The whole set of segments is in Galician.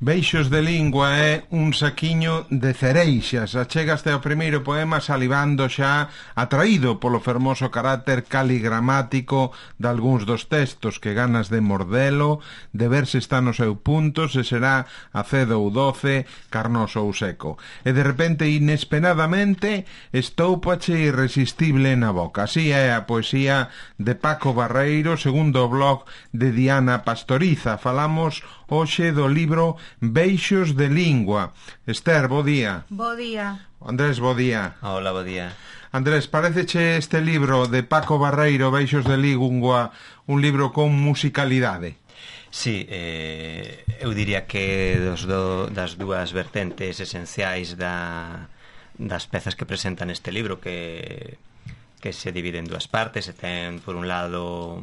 Beixos de lingua é un saquiño de cereixas. Achegaste ao primeiro poema salivando xa, atraído polo fermoso carácter caligramático de algúns dos textos, que ganas de mordelo, de ver se está no seu punto, se será acedo ou doce, carnoso ou seco. E de repente, inesperadamente, estóupache irresistible na boca. Así é a poesía de Paco Barreiro, segundo o blog de Diana Pastoriza. Falamos hoxe do libro Beixos de lingua. Esther, bo día. Bo día. Andrés, bo día. Hola, bo día. Andrés, pareceche este libro de Paco Barreiro, Beixos de lingua, un libro con musicalidade? Sí, eu diría que das dúas vertentes esenciais das pezas que presenta neste libro, que se divide en dúas partes, e ten, por un lado,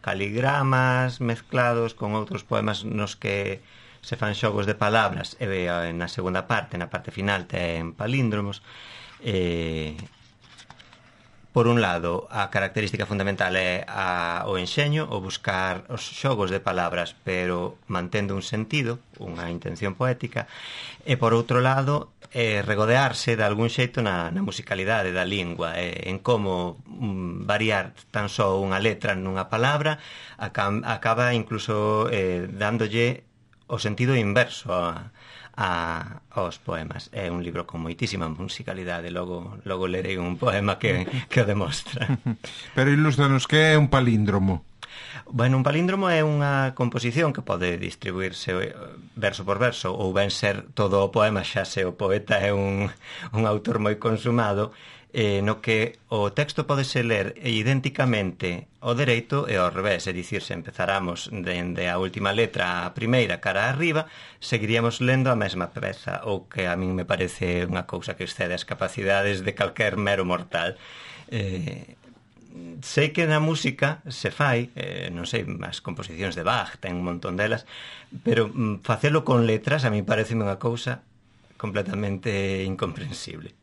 caligramas mezclados con outros poemas nos que se fan xogos de palabras, e na segunda parte, na parte final, ten palíndromos. Por un lado, a característica fundamental é o enxeño, o buscar os xogos de palabras, pero mantendo un sentido, unha intención poética, e por outro lado, regodearse de algún xeito na musicalidade da lingua, en como variar tan só unha letra nunha palabra acaba incluso dándolle o sentido inverso aos poemas. É un libro con moitísima musicalidade. Logo lerei un poema que o demostra. Pero ilústranos, que é un palíndromo? Bueno, un palíndromo é unha composición que pode distribuirse verso por verso, ou ben ser todo o poema, xa se o poeta é un autor moi consumado, no que o texto podese ler idénticamente ao dereito e ao revés, é dicir, se empezáramos dende a última letra a primeira cara arriba, seguiríamos lendo a mesma peza, o que a min me parece unha cousa que excede as capacidades de calquer mero mortal. Sei que na música se fai, non sei, as composicións de Bach ten un montón delas, pero facelo con letras a mí parece unha cousa completamente incomprensible.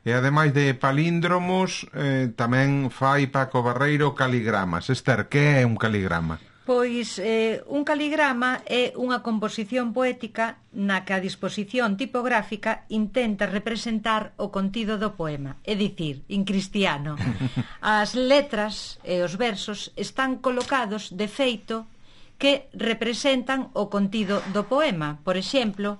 E ademais de palíndromos, tamén fai Paco Barreiro caligramas. Esther, que é un caligrama? Pois un caligrama é unha composición poética na que a disposición tipográfica intenta representar o contido do poema, é dicir, en cristiano. As letras e os versos están colocados de feito que representan o contido do poema. Por exemplo,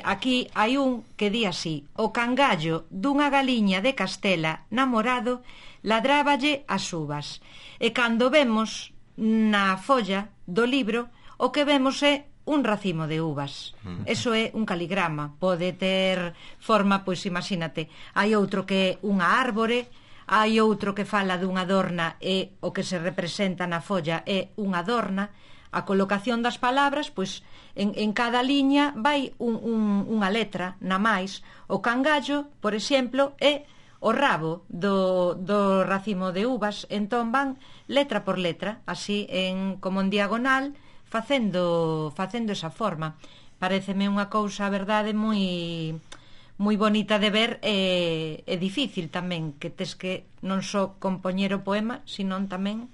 aquí hai un que di así: o cangallo dunha galiña de Castela namorado ladráballe as uvas. E cando vemos na folla do libro, o que vemos é un racimo de uvas. Eso é un caligrama. Pode ter forma, pois imagínate, hai outro que é unha árbore, hai outro que fala dunha adorna e o que se representa na folla é unha adorna. A colocación das palabras, pois en cada liña vai unha letra na máis. O cangallo, por exemplo, é o rabo do racimo de uvas, entón van letra por letra, así como en diagonal, facendo esa forma. Paréceme unha cousa, a verdade, moi bonita de ver, e difícil tamén, que tes que non só compoñer o poema, senón tamén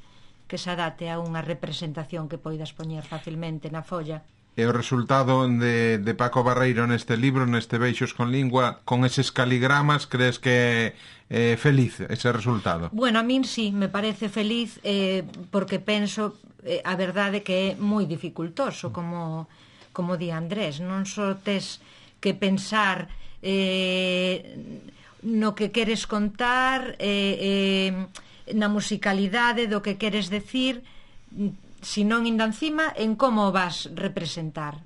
que se adate a unha representación que poidas poñer facilmente na folla. E o resultado de Paco Barreiro neste libro, neste Beixos con lingua, con eses caligramas, crees que é feliz ese resultado? Bueno, a min sí, me parece feliz, porque penso, a verdade, que é moi dificultoso, como di Andrés. Non só tes que pensar no que queres contar, na musicalidade do que queres decir, senón ainda encima en como vas representar.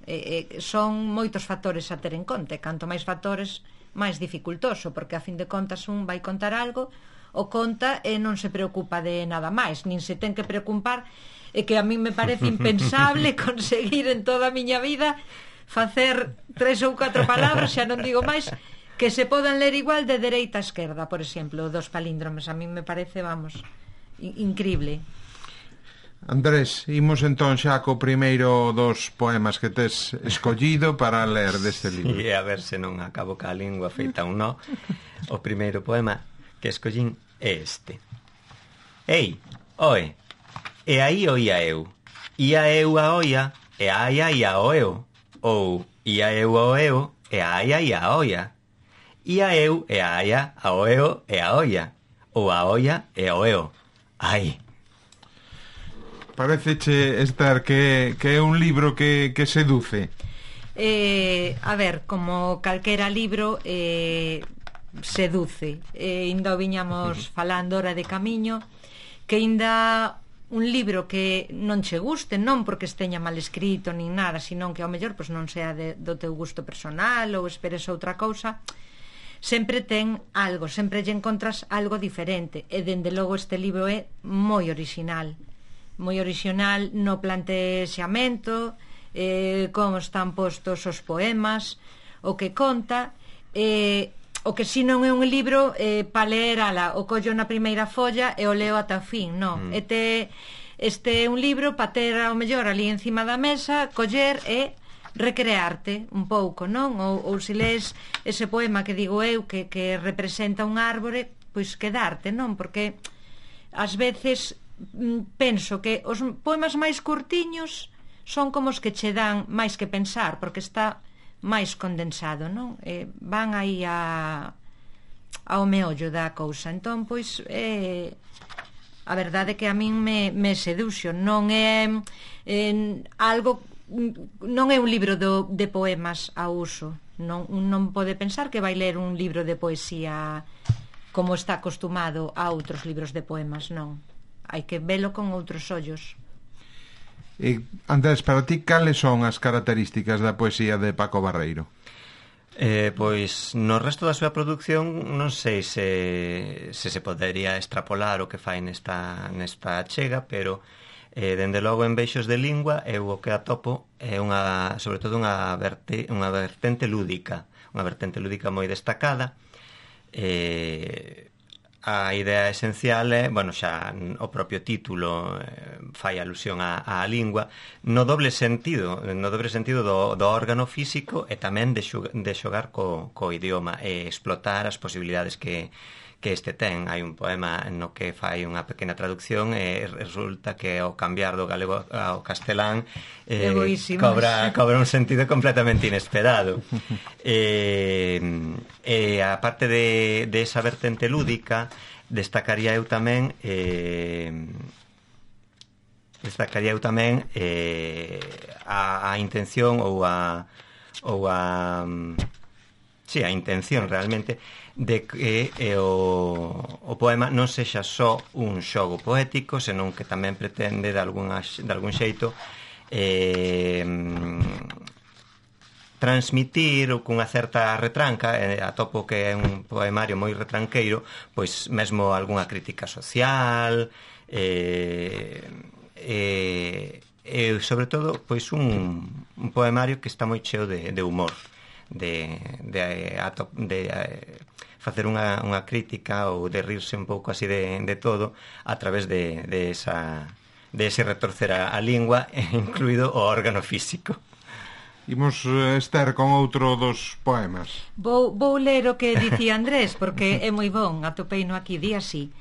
Son moitos factores a ter en conta, canto máis factores, máis dificultoso, porque a fin de contas un vai contar algo, o conta e non se preocupa de nada máis, nin se ten que preocupar, e que a mí me parece impensable conseguir en toda a miña vida facer 3 ou 4 palabras, xa non digo máis, que se podan ler igual de dereita a esquerda, por exemplo, dos palíndromes. A mí me parece, vamos, increíble. Andrés, imos entón xa co primeiro dos poemas que tes escollido para ler deste libro. Sí, a ver se non acabo ca lingua feita un no. O primeiro poema que escollín é este: Ei, oe, e aí oía eu, ia eu a oia, e ai ai a oeu, ou ia eu ao eo e a aia ia a olla. Ia eu e a aia ao eo e a olla. Ou a olla e ao eo. Ai. Pareceche, Esther, que é un libro que seduce? A ver, como calquera libro seduce. Ainda o viñamos falando hora de camiño, que ainda un libro que non che guste, non porque esteña mal escrito nin nada, sino que ao mellor pois non sea do teu gusto personal ou esperes outra cousa, sempre ten algo, sempre lle encontras algo diferente, e dende logo este libro é moi original no plantexamento, como están postos os poemas, o que conta, o que si non é un libro para ler, o collo na primeira folla e o leo ata o fin, non. Este é un libro para ter ao mellor ali encima da mesa, coller e recrearte un pouco, non? Ou se lees ese poema que digo eu que representa un árbore, pois quedarte, non? Porque ás veces penso que os poemas máis curtiños son como os que che dan máis que pensar, porque está máis condensado, non? Van aí ao meollo da cousa. Entón, pois, a verdade é que a min me seduxo. Non é algo, non é un libro de poemas a uso. Non pode pensar que vai ler un libro de poesía como está acostumado a outros libros de poemas, non. Hai que velo con outros ollos. Andrés, para ti, cales son as características da poesía de Paco Barreiro? Pois no resto da súa produción non sei se podería extrapolar o que fai nesta achega, pero dende logo en Beixos de Lingua eu o que atopo é sobre todo unha vertente lúdica, moi destacada. A idea esencial é, xa o propio título fai alusión á lingua no dobre sentido do órgano físico e tamén de xogar co idioma e explotar as posibilidades que este ten. Hai un poema no que fai unha pequena traducción e resulta que ao cambiar do galego ao castelán cobra un sentido completamente inesperado. E a parte de esa vertente lúdica, destacaría eu tamén a intención ou a intención realmente de que o poema non sexa só un xogo poético, senón que tamén pretende de algún xeito transmitir cunha certa retranca, atopo que é un poemario moi retranqueiro, pois mesmo algunha crítica social sobre todo pois un poemario que está moi cheo de humor, de facer unha crítica ou de rirse un pouco así de todo a través de ese retorcer a lingua, incluído o órgano físico. Imos, Esther, con outro dos poemas. Vou ler o que dicía Andrés, porque é moi bon, atopeino aquí, di así: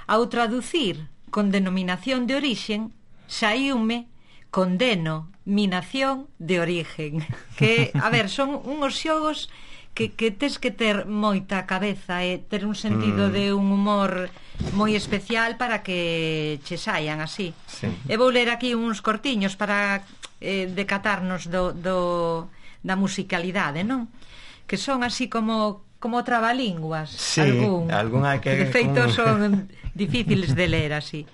ao traducir con denominación de orixen, saíume con denominación de origen. Que, a ver, son unhos xogos que tes que ter moita cabeza e ter un sentido de un humor moi especial para que che saian así. Sí. E vou ler aquí uns cortiños para decatarnos da musicalidade, non? Que son así como trabalínguas. Sí, algunha que de feito son difíciles de ler así.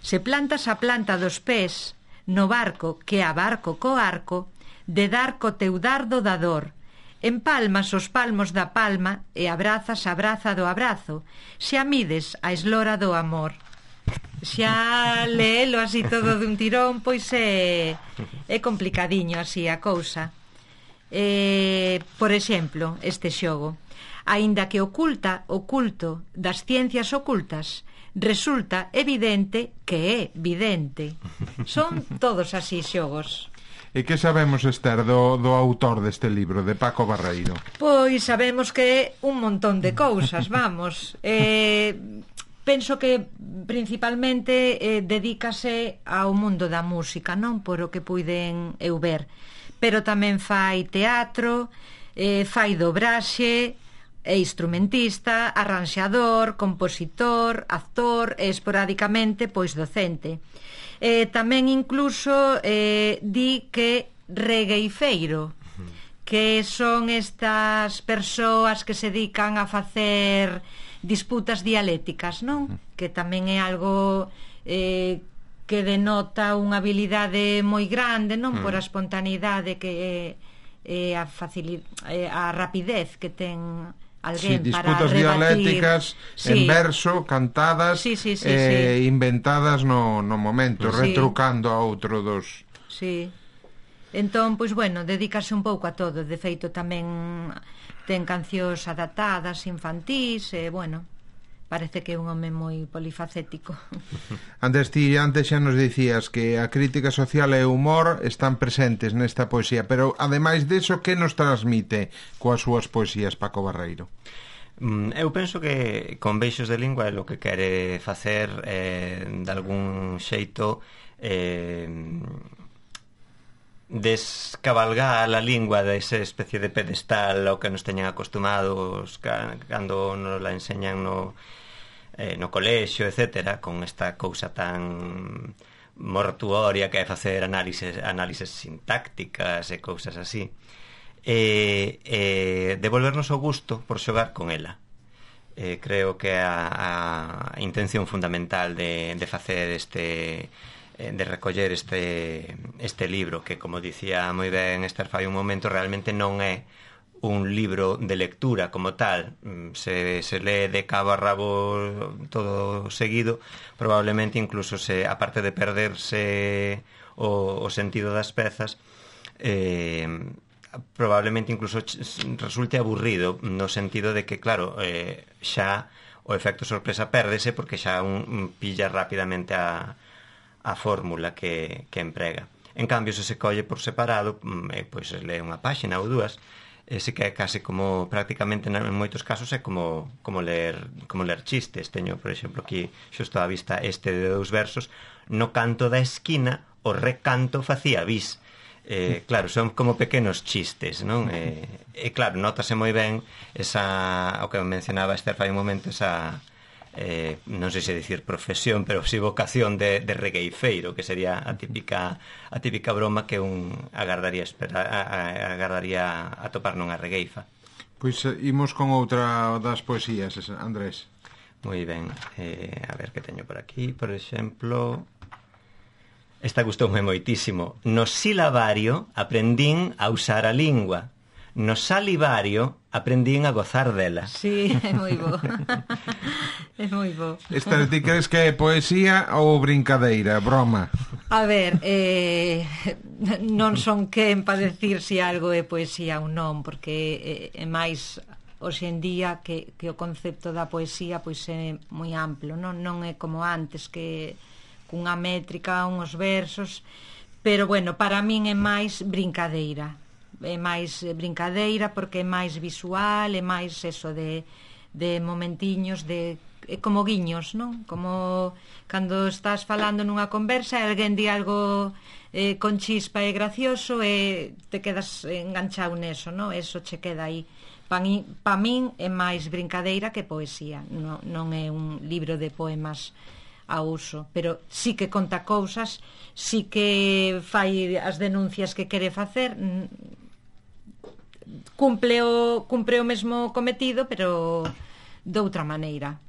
Se plantas a planta dos pés no barco que abarco co arco, de dar co teu dardo dador, empalmas os palmos da palma e abrazas a braza do abrazo, xa mides a eslora do amor. Xa leelo así todo dun tirón, pois é complicadiño así a cousa. Por exemplo, este xogo: aínda que oculto das ciencias ocultas, resulta evidente que é vidente. Son todos así xogos. E que sabemos, Esther, do autor deste libro, de Paco Barreiro? Pois sabemos que é un montón de cousas, vamos. Penso que principalmente dedícase ao mundo da música, non por o que puiden eu ver. pero tamén fai teatro, fai dobraxe, é instrumentista, arranxador, compositor, actor e esporádicamente pois docente. Tamén incluso di que regueifeiro, que son estas persoas que se dedican a facer disputas dialécticas, non? Que tamén é algo que denota unha habilidade moi grande, non? Por a espontaneidade que a rapidez que ten alguén para disputas dialécticas en verso, cantadas, inventadas no momento, retrucando a outro dos... Sí. Entón, pois, bueno, dedícase un pouco a todo. De feito, tamén ten cancións adaptadas infantís, bueno, parece que é un home moi polifacético. Antes xa nos dicías que a crítica social e o humor están presentes nesta poesía, pero ademais deso, que nos transmite coas súas poesías Paco Barreiro? Eu penso que con Beixos de Lingua é o que quere facer de algún xeito descabalgar a lingua desa especie de pedestal ao que nos teñan acostumados cando nos la enseñan no colexio, etcétera, con esta cousa tan mortuoria que é facer análises sintácticas e cousas así, devolvernos o gusto por xogar con ela. Creo que a intención fundamental de facer de recoller este libro, que, como dicía moi ben Esther fai un momento, realmente non é un libro de lectura como tal, se lee de cabo a rabo todo seguido, probablemente incluso aparte de perderse o sentido das pezas, probablemente incluso resulte aburrido, no sentido de que, claro, xa o efecto sorpresa pérdese porque xa un pilla rapidamente a fórmula que emprega. En cambio, se colle por separado, pois lee unha páxina ou dúas, ese que é case como, prácticamente en moitos casos é como ler chistes. Teño, por exemplo, aquí xusto á vista de 2 versos: no canto da esquina o recanto facía bis. Claro, son como pequenos chistes, non? Claro, notase moi ben o que mencionaba Esther fai un momento, esa non sei se dicir profesión, pero si vocación de regueifeiro, que sería a típica broma que un agardaría atopar nunha regueifa. Pois imos con outra das poesías, Andrés. Moi ben, a ver que teño por aquí. Por exemplo, esta gustoume moitísimo: no silabario aprendín a usar a lingua, no salivario aprendín a gozar dela. Sí, é moi bo. É moi bo. Esta, ti crees que é poesía ou brincadeira, broma? A ver, non son quen para decir se algo é poesía ou non, porque é máis hoxe en día que o concepto da poesía pois é moi amplo, non é como antes, que cunha métrica, uns versos, pero bueno, para min é máis brincadeira. É máis brincadeira porque é máis visual, é máis eso de momentiños, como guiños, non? Como cando estás falando nunha conversa e alguén di algo con chispa e gracioso e te quedas enganchado neso, non? Eso che queda aí. Pa min é máis brincadeira que poesía, non é un libro de poemas a uso, pero sí que conta cousas, sí que fai as denuncias que quere facer, cumpre o mesmo cometido, pero de outra maneira.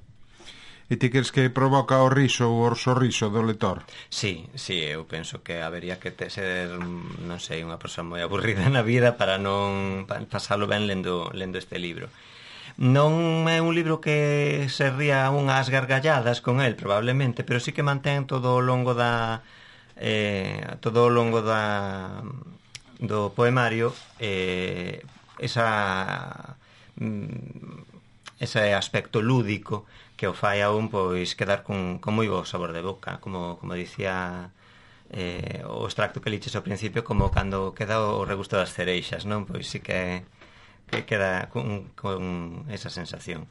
E ti crees que provoca o riso ou o sorriso do lector? Sí, eu penso que habería que ser, non sei, unha persoa moi aburrida na vida para non pasalo ben lendo este libro. Non é un libro que se ría unhas gargalladas con el, probablemente, pero sí que mantén todo o longo do poemario ese aspecto lúdico que o fai aún pois quedar con moi bo sabor de boca, como dicía o extracto que liches ao principio, como cando queda o regusto das cereixas, non? Pois sí que queda con esa sensación.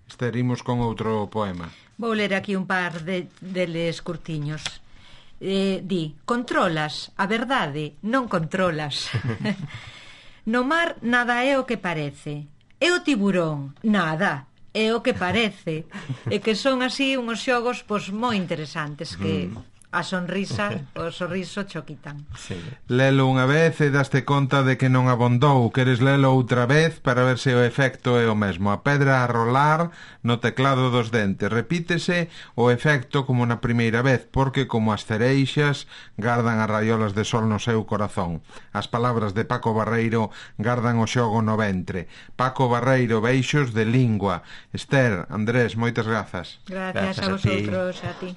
Esterimos con outro poema. Vou ler aquí un par deles curtiños. Di, controlas, a verdade, non controlas. No mar nada é o que parece. E o tiburón, nada, é o que parece. E que son así uns xogos pois moi interesantes que a sonrisa, o sorriso cho quitan. Sí. Lelo unha vez e daste conta de que non abondou. Queres lelo outra vez para ver se o efecto é o mesmo. A pedra a rolar no teclado dos dentes. Repítese o efecto como na primeira vez, porque como as cereixas gardan as raiolas de sol no seu corazón. As palabras de Paco Barreiro gardan o xogo no ventre. Paco Barreiro, beixos de lingua. Esther, Andrés, moitas grazas. Gracias a Grazas a ti. vosotros, a ti.